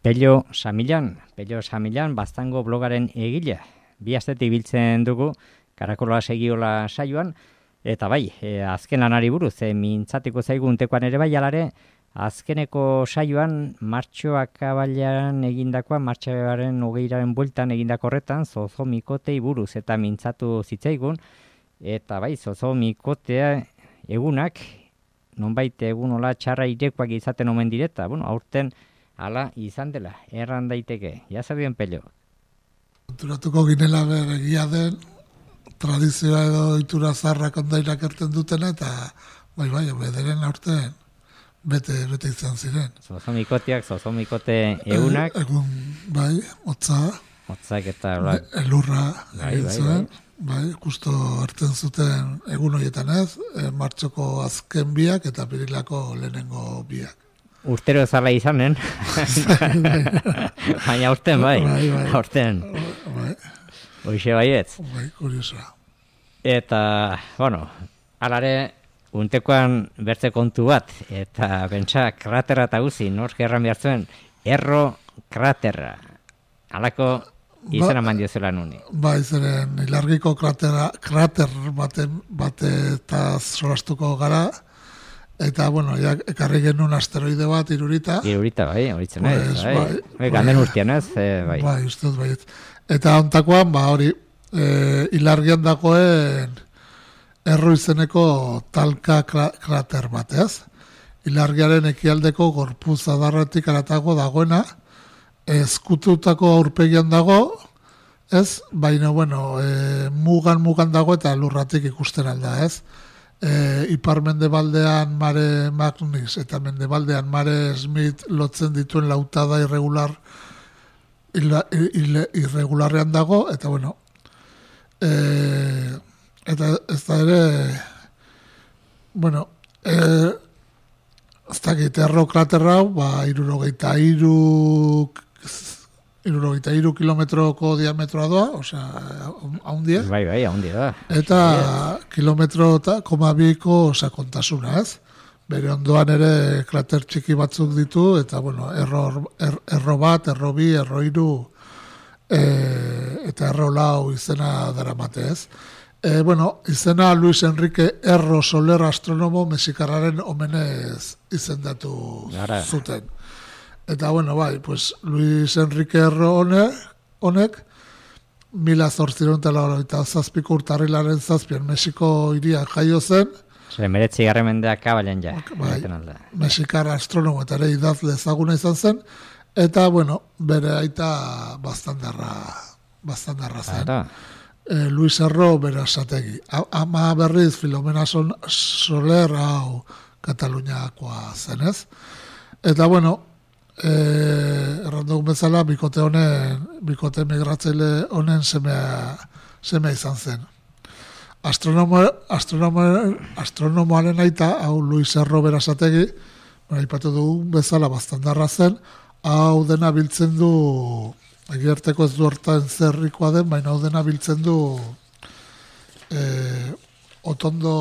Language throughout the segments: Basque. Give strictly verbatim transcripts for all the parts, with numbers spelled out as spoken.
Pello Samilan, Pello Samilan, Baztango blogaren egile. Bi astetik biltzen dugu, Karakola segiola saioan, eta bai, e, azken lanari buruz, e, mintzatiko zaigun tekoan ere bai alare, azkeneko saioan, martxoak abailan egindakoa, martxoaren hogeiraren bueltan egindako horretan, zozomikotei buruz, eta mintzatu zitzaigun, eta bai, zozomikotea egunak, nonbait egunola txarra irekoak izaten omen direta, bueno, aurten, hala izan dela, erran daiteke. Ja zabien Pello. Konturatuko ginela begia den, tradizioa edo itura zarrak ondairak erten dutena, eta bai, bai, bederen aurten bete, bete izan ziren. Zozomikoteak, zozomikote egunak. E, egun, bai, hotza. Hotzak eta... Bla, elurra bai, egin bai, zuen. Bai. Bai, justo hartzen zuten egun horietan ez, e, martxoko azken biak eta pirilako lehenengo biak. Urtero zala izanen, baina aurten bai, bai, bai. aurten, bai. Hoxe baietz. Bai, kuriosoa. Eta, bueno, alare, untekoan bertze kontu bat, eta bentsa kraterra eta guzi, nork erran behar zuen, erro kraterra, alako izena ba, mandio zela nuni. Bai, zeren, ilargiko kratera, krater bate, bate eta solastuko gara, eta, bueno, ja, ekarri genuen asteroide bat, irurita. Irurita, bai, horitzen pues, ez, bai. bai, bai ganden urtean ez, eh, bai. Bai, ustez, bai. Eta ontakoan, ba, hori, e, ilargian dagoen erro izeneko talka krater bat, ez? Ilargiaren ekialdeko gorpuz adarretik aratago dagoena, ezkututako aurpegian dago, ez? Baina, bueno, e, mugan mugan dago eta lurratik ikusten alda, ez? E, ipar mendebaldean Mare Magnus eta mendebaldean Mare Smith lotzen dituen lautada irregular ila, ila, irregularrean dago, eta bueno, e, eta ez da ere, bueno, e, ez dakit, erro kraterra, ba, irurogeita iru irurogeita iru kilometroko diametroa doa, osea, haundia. Bai, bai, haundia da. Eta kilometro eta koma biko sakontasuna, ez? Bere ondoan ere krater txiki batzuk ditu, eta, bueno, erro, er, erro bat, erro bi, erro iru, e, eta erro lau izena daramate, ez? E, bueno, izena Luis Enrique Erro Soler astronomo mexikarraren omenez izendatu Gara. Zuten. Eta, bueno, bai, pues, Luis Enrique Erro honek, honek mila zortziron eta zazpiko urtarrilaren zazpian Mexiko iria jaio zen. Zere, meretzi garren mendeak kabalen ja. Bai, mexikar astronomo eta ere idazle ezaguna izan zen, eta, bueno, bere aita bastandarra, bastandarra zen. E, Luis Erro Berasategi. Ama berriz Filomena Soler hau Kataluniakoa zenez. Eta, bueno, Eh, errandugun bezala bikote honen bikote migratzaile honen semea, semea izan zen. Astronomo, astronomo, astronomoaren aita, hau Luis Erro Berasategi, aipatu dugun bezala bastandarra zen, hau dena biltzen du, egiarteko ez du hortan zerrikoa den, baina hau dena biltzen du eh, otondo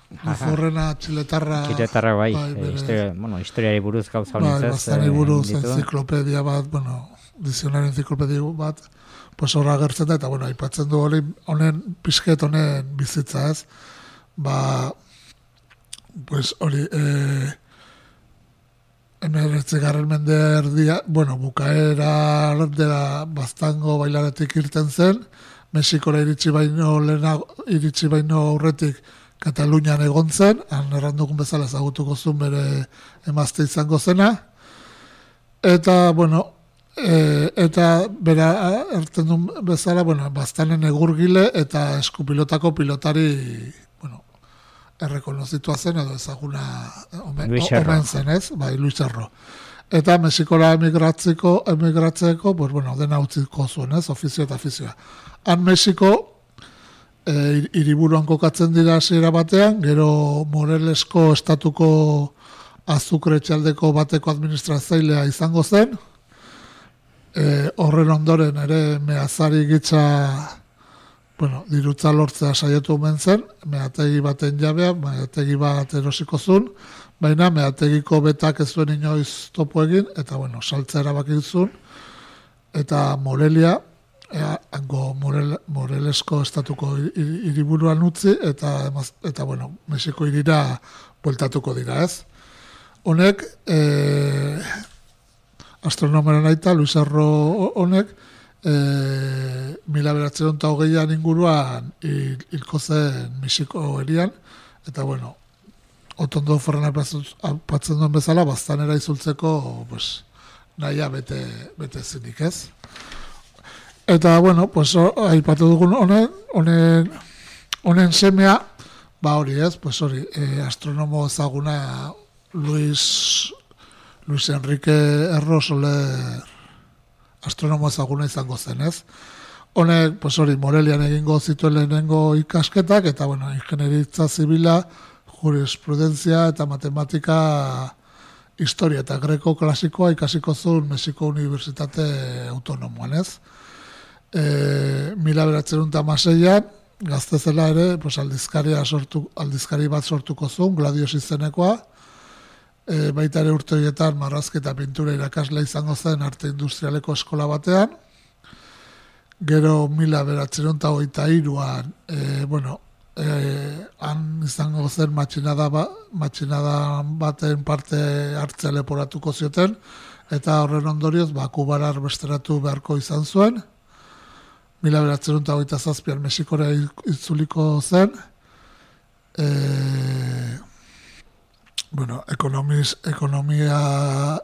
Luzorrena txiletarra... Txiletarra, bai. bai e, historia, bueno, historiari buruz gauza honintzez. Bai, bastani buruz, enziklopedia bat, bueno, dizionario enziklopedia bat, pues horra agertzen da, eta, bueno, aipatzen du hori, honen, pixket honen bizitza, ez? Ba, pues hori, eh, emeretzi garren mende erdia, bueno, bukaera dela Baztango bailaretik irten zen, Mexikora iritsi baino lehenago, iritsi baino aurretik Katalunian egon zen, han errandukun bezala ezagutuko zuen bere emazte izango zena, eta, bueno, e, eta bera erten duen bezala, bueno, Baztanen egurgile eta eskupilotako pilotari, bueno, errekonozitua zen, edo ezaguna omen, omen zen, ez? Bai, Luis Erro. Eta Mexikora emigratzeko, emigratzeko, pues, bueno, dena utziko zuen, ez? Ofizio eta afizioa. Han Mexiko, E, hiriburuan kokatzen dira hasiera batean, gero Morelesko estatuko azukre txaldeko bateko administratzailea izango zen, e, horren ondoren ere meazari gitza, bueno, dirutza lortzea saiatu omen zen, meategi baten jabea, meategi bat erosiko zuen, baina meategiko betak ez zuen inoiz topo egin, eta bueno, saltza erabaki zuen, eta Morelia, ea, hango Morel, Morelesko estatuko hiriburuan utzi, eta, eta bueno, Mexiko hirira bueltatuko dira, ez? Honek, e, astronomeren aita, Luis Arro honek, e, mila bederatziehun eta hogeian inguruan hil, hilko zen Mexiko herian, eta bueno, Otondo Ferran apatzen duen bezala, baztanera izultzeko, pues, nahia bete, bete zinik, ez? Eta, bueno, pues, aipatu dugun honen, honen, honen semea, ba hori, ez? Pues hori, eh, astronomo ezaguna Luis, Luis Enrique Erro Soler astronomo ezaguna izango zen, ez? Honek, pues hori, Morelian egingo zituen lehenengo ikasketak, eta, bueno, ingenieritza zibila, jurisprudentzia eta matematika, historia eta greko klasikoa ikasiko zuen Mexiko Unibertsitate Autonomoan, ez? E, mila bederatziehun eta hamaseian, gazte zela ere, pues, aldizkaria sortu, aldizkari bat sortuko zuen, Gladios izenekoa, e, baita ere urte horietan marrazki eta pintura irakasle izango zen arte industrialeko eskola batean, gero mila bederatziehun eta hogeita hiruan, e, bueno, Eh, han izango zen matxinada, ba, matxinada baten parte hartzea leporatuko zioten, eta horren ondorioz, ba, Kubara arbesteratu beharko izan zuen, mila bederatziehun eta hogeita zazpian Mexikora itzuliko zen, e, bueno, ekonomiz, ekonomia,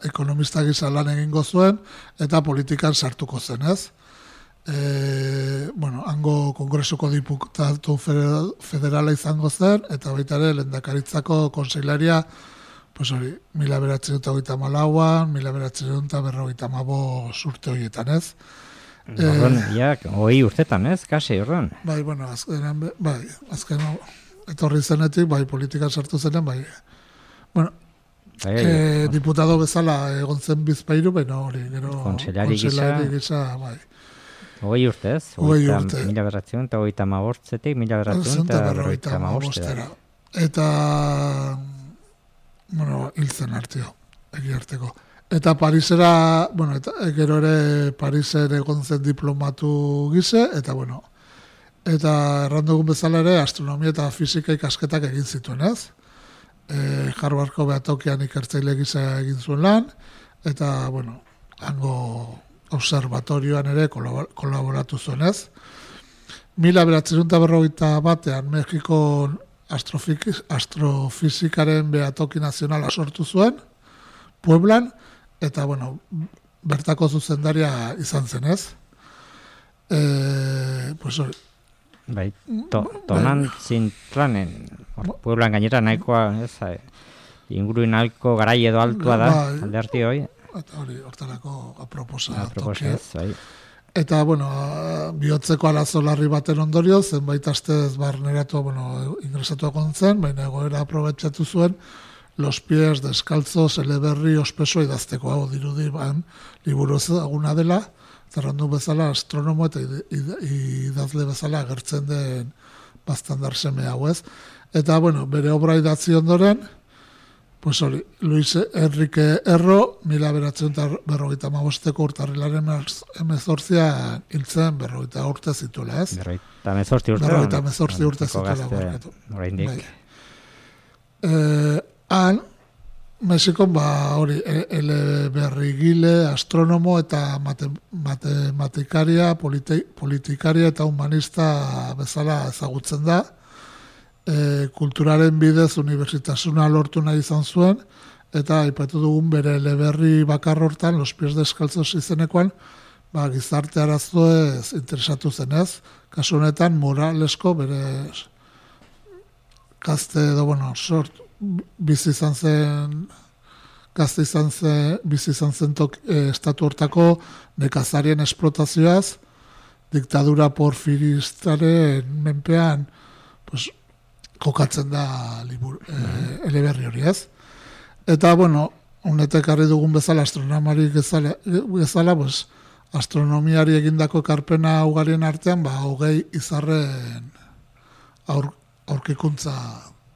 ekonomista gisa lan egingo zuen, eta politikan sartuko zen, ez? E, bueno, hango kongresuko diputatu federal, federala izango zen, eta baita ere lehendakaritzako konseilaria, pues hori, mila bederatziehun eta hogeita hamalauan, mila bederatziehun eta berrogeita hamabost urte horietan, ez? Horren, e, ja, hoi urtetan, ez? Kasi, horren. Bai, bueno, azkenean, bai, azken etorri zenetik, bai, politikan sartu zenen, bai, bueno, bai, e, diputado bezala egon zen Bizpairu, baina hori, gero konseilari gisa, gisa, bai. Hogei urtez, hogei urte. Mila berratziehun eta hogeita hamabostzetik, mila berratziehun eta berrogeita hamabostera. Eta, bueno, hiltzen artio, egi arteko. Eta Parisera, bueno, eta gero ere Parisen egon zen diplomatu gize, eta bueno, eta errandugun bezala ere astronomia eta fisika ikasketak egin zituen, ez? E, Harvardko behatokian ikertzaile gisa egin zuen lan, eta, bueno, hango observatorioan ere kolaboratu zuen, ez? Mila bederatziehun eta berrogeita batean Mexiko astrofizikaren behatoki nazionala sortu zuen, Pueblan, eta, bueno, bertako zuzendaria izan zen, ez? E, pues hori. Bai, to, tonan bai. Zintlanen, Pueblan gainera nahikoa, ez, inguru nahiko garai edo altua da, bai, alde harti hoi. Eta hori, hortarako aproposa tokia. Bai. Eta, bueno, bihotzeko arazo larri baten ondorio, zenbait astez barneratu, bueno, ingresatu akontzen, baina egoera aprobetxatu zuen, Los pies deskaltzos eleberri ospeso idazteko, hau dirudi, ban, liburu ezaguna dela, zerrandu bezala astronomo eta idazle bezala agertzen den bastandar seme hau, ez. Eta, bueno, bere obra idatzi ondoren, pues hori, Luis Enrique Erro, mila bederatziehun eta berrogeita hamabosteko urtarrilaren hemezortzia hiltzen berrogeita urte zituela, ez? Berrogeita hemezortzi urte. Berrogeita hemezortzi urte zituela. Oraindik. Eh, han, Mexikon, ba, hori, eleberrigile, astronomo eta mate, matematikaria, politi, politikaria eta humanista bezala ezagutzen da. E, kulturaren bidez unibertsitasuna lortu nahi izan zuen, eta aipatu dugun bere eleberri bakar hortan, Los pies deskaltzos izenekoan, ba, gizarte arazoez interesatu zenez, kasu honetan moralesko bere gazte edo, bueno, sort, bizi izan zen, gazte izan zen, bizi izan zen tok, e, estatu hortako nekazarien esplotazioaz, diktadura porfiristaren menpean, pues, kokatzen da libur, e, eleberri hori, ez? Eta, bueno, honetek harri dugun bezala, astronomari bezala, bezala pues, astronomiari egindako ekarpena ugarien artean, ba, hogei izarren aur, aurkikuntza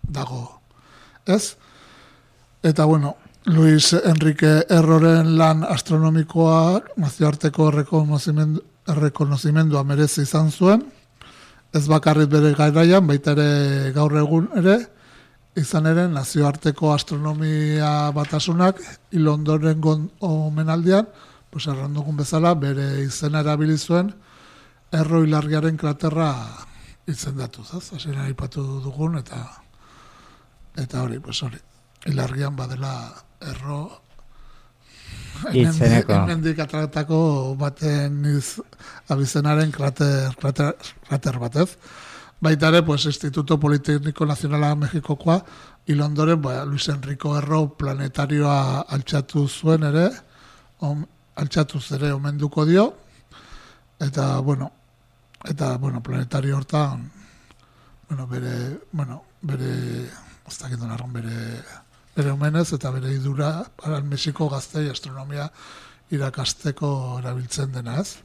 dago, ez? Eta, bueno, Luis Enrique Erroren lan astronomikoa nazioarteko errekonozimendu, errekonozimendua merezi izan zuen, ez bakarrik bere garaian, baita ere gaur egun ere, izan ere nazioarteko astronomia batasunak hil ondoren omenaldian, pues errandugun bezala, bere izena erabili zuen Erro ilargiaren kraterra izendatu, zaz? Hasieran aipatu dugun, eta eta hori, pues hori, ilargian badela Erro hemendik atratako baten iz, abizenaren krater, krater, krater batez. Baita ere, pues, Instituto Politécnico Nazionala Mexikokoa, hil ondoren, ba, Luis Enrico Erro planetarioa altxatu zuen ere, on, altxatuz ere omenduko dio, eta, bueno, eta, bueno, planetario hortan, bueno, bere, bueno, bere, ez dakit donarron, bere, bere omenez, eta bere idura, para Mexiko gaztei astronomia irakasteko erabiltzen dena, ez?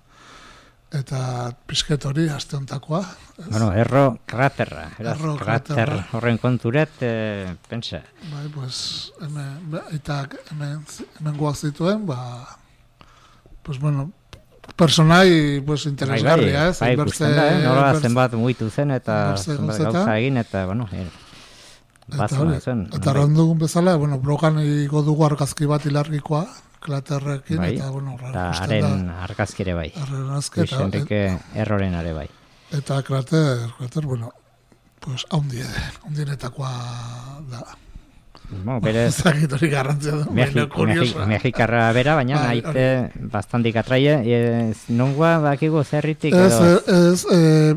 Eta pizket hori aste hontakoa. Bueno, Erro kraterra, Erro krater kraterra. horren konturet, eh, pensa. Bai, pues, hemen, eta hemen, hemen guak zituen, ba, pues, bueno, personai, pues, interesgarria, ez? Bai, bai, ikusten da, eh? Nola inbertze- zenbat mugitu zen, eta inbertze zenbat gauzetan. gauza egin, eta, bueno, eh, Eta bazena hori, zen. eta randugun bezala, bueno, blogan igo dugu argazki bat ilargikoa, klaterrekin, Bai, eta, bueno, eta ikusten haren da, argazkire bai. haren argazki, Luis eta, Enrique Erroren are bai. eta krater, krater, bueno, pues, haundie, haundienetakoa da. Bueno, berez, Zagit hori garrantzia du, baina Mexi- kuriosa. Mexi- Mexikarra bera, baina Bai, naite bastantik atraie, ez nongoa bakigu zerritik Ez, edo... ez, eh,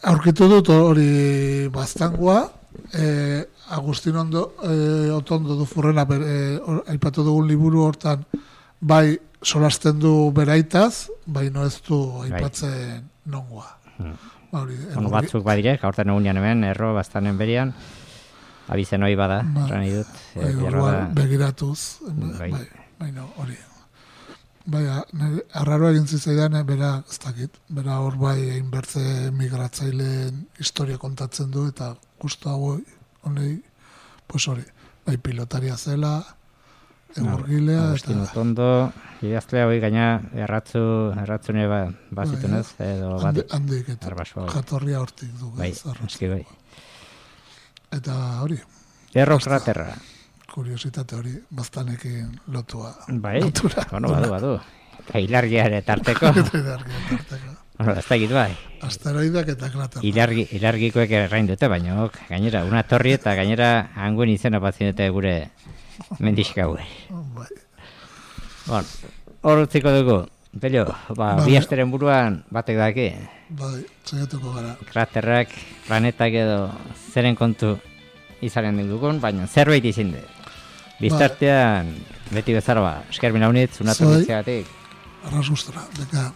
aurkitu dut hori baztangoa, eh, Agustin ondo, eh, Otondo du furrena, bere, or, aipatu dugun liburu hortan, bai solasten du beraitaz, bai no ez du aipatzen nongoa. Hmm. Ba, hori, Bueno, hori- batzuk badire, gaurten egunean hemen, erro bastanen berian, abizen hoi bada, Ba, erran idut. bai, eh, orduan beharbada- begiratuz, Bai. bai, bai, no, hori. Bai, nire arraroa egin zitzaidan, eh, bera, ez dakit, bera hor bai einbertze migratzaileen historia kontatzen du, eta justu hau honei, pues hori, bai pilotaria zela, egurgilea, Agustin eta Otondo, idazlea hoi gaina erratzu, erratzune ba, bazitunez, edo bat, handi- handik, eta Arbasua. jatorria hortik du. bai, ez, arra- eski bai. Eta hori, Erro kraterra, kuriositate hori, baztanekin lotua. bai, lotura. bueno, badu, badu. Eta hilargia ere tarteko, Eta ilargia tarteko. bueno, ez dakit bai. Asteroidak eta kraterra. Ilargi, ilargikoek errain dute, baina ok, gainera, una torri eta gainera anguen izena batzen dute gure mendixkaue. Bai. Bon, hor utziko dugu, Pelio, ba, Bai. bi asteren buruan batek daki, Bai, saiatuko gara. kraterrak, planetak edo zeren kontu izanen dugun, baina zerbait izin de. Biztartean, beti bezala ba, esker mina unitz, unatu Zuei. ditzeagatik. Arras gustora, deka.